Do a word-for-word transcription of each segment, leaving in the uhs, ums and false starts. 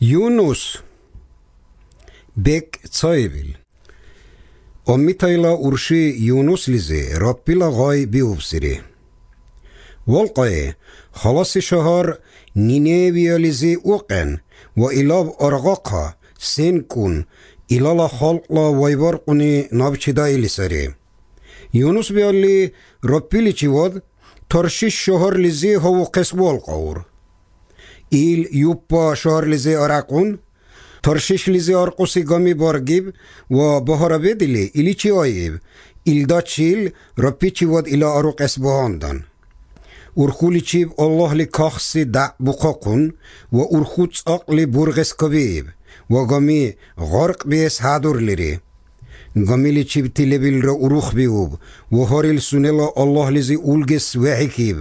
Yunus bek цоевил. Оммитайла урши Юнус лизе раппила гай биубсири. والقای خلاص شهر نینویا لزی اوقن و ایلاب ارغاقا سین کن ایلالا خلقلا ویبار قنی نابچدای لسری. یونس بیالی رپیلی چی ود ترشیش شهر لزی هاو قس والقاور. ایل یوپا شهر لزی ارقون ترشیش لزی ارقوسی گامی بارگیب و بهارا بدلی ایلی چی آیب ایل دا چیل رپی چی ود ایلا ارو قس بهاندن. ورخولی چیب الله لی کاخسی دع بقاقون و ورخوت اقلی برغس کبیب و گامی غرق بیس هادور لیری. گامی لی چیب تیلبیل را اروخ بیوب و هاریل سونلا الله لیزی اولگس وحیکیب.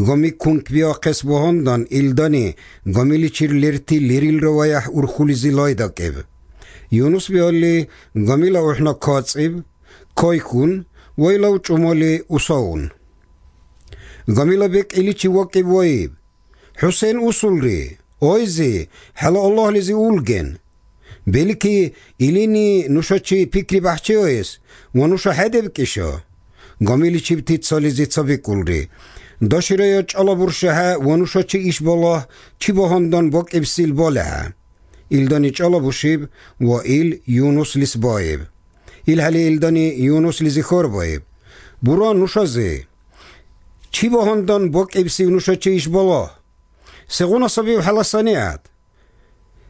گامی کنک بیا قس بهاندن ایلدانی گامی لی چیر لیرتی لیریل را ویح ورخولی زی لایدا کیب. یونس بیالی گامی لا احنا کاتسیب کای کن ویلاو چمالی اصاون. گامیلا بک ایلی چی وکی وایب حسین اصول ری آیزی حالا الله لیزی اولگن بلی که ایلینی نوشا چی پیکری بحچه آیز و نوشا حده بکشا گامیلی چی بتید سالی زی چا بکل ری داشی رای چالا برشه ها و نوشا چی ایش بالا چی باهندان باک ابسیل باله ها ایلدانی چالا بوشیب و ایل یونس لیس بایب ایل حالی ایلدانی یونس لیزی خور بایب برا نوشا زی چی باهندان باک ابسی نوشا چی ایش بالا سگونا سبیب حلاسانیات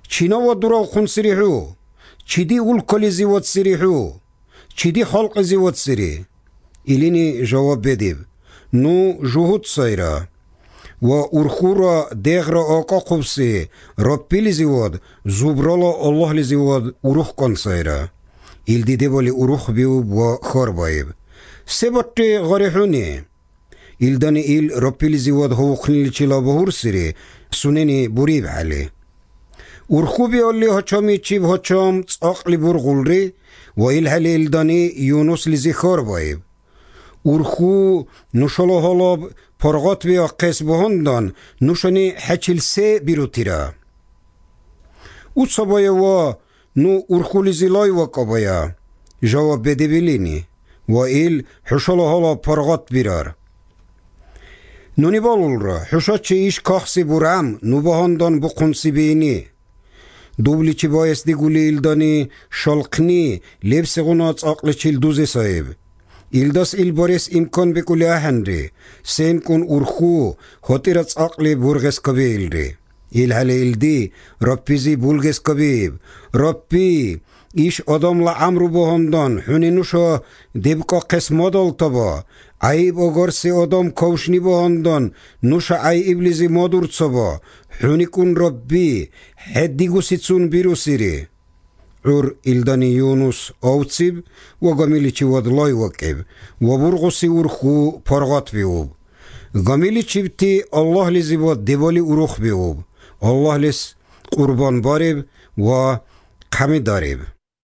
چی نوا درا خون سریحو چی دی اول کلی زیوات سریحو چی دی خلق زیوات سری ایلینی جواب بدیب نو جهود سایرا و ارخورا دیغرا آقا خوبسی رپیلی زیواد زوبرالا الله لی زیواد اروخ کن سایرا ایل دیده بالی اروخ بیوب و خار بایب سبتی غریحونی ایلدانی ایل رپیلی زیواد هو خنیل چیلا بهور سری سنینی بوریب حالی. ورخوبی اولی هچامی چیب هچام اقلی برغول ری و ایل حالی ایلدانی یونس لیزی خار بایب. ورخو نوشالا حالاب پرغات بیا قیس بهندان نوشانی حچیل سه بیروتی را. او صبایه و نو ورخو لیزی لای وکا بایا جواب بده بلینی و ایل حشالا حالا پرغات بیرار. نونی بالول را حشات چه ایش کاخسی برام نو بهاندان بقنسی بینی دوبلی چی بایست دی گولی ایلدانی شالقنی لیبس غنات اقل چیل دوزی صاحب ایلداس ایل باریس امکان بکولی احن ری سین کن ارخو خاطرت اقل برغس کبیل ری ایل حالی ایلدی رپیزی بولگس کبیب رپی ایش آدم لعمرو بهاندان حونی نوشا دیبکا قسم دال تبا عیب اگرسی آدم کوشنی بهاندان نوشا عیب لیزی مادور تبا حونی کن ربی حدی گوسی چون بیرو سیری عور ایلدانی یونس آوتسیب و گامیلی چی ود لای وکیب و برغسی ورخو پرغات بیوب گامیلی چی بتی الله لیزی بود دیوالی اروخ بیوب الله لیز قربان باریب و قمی داریب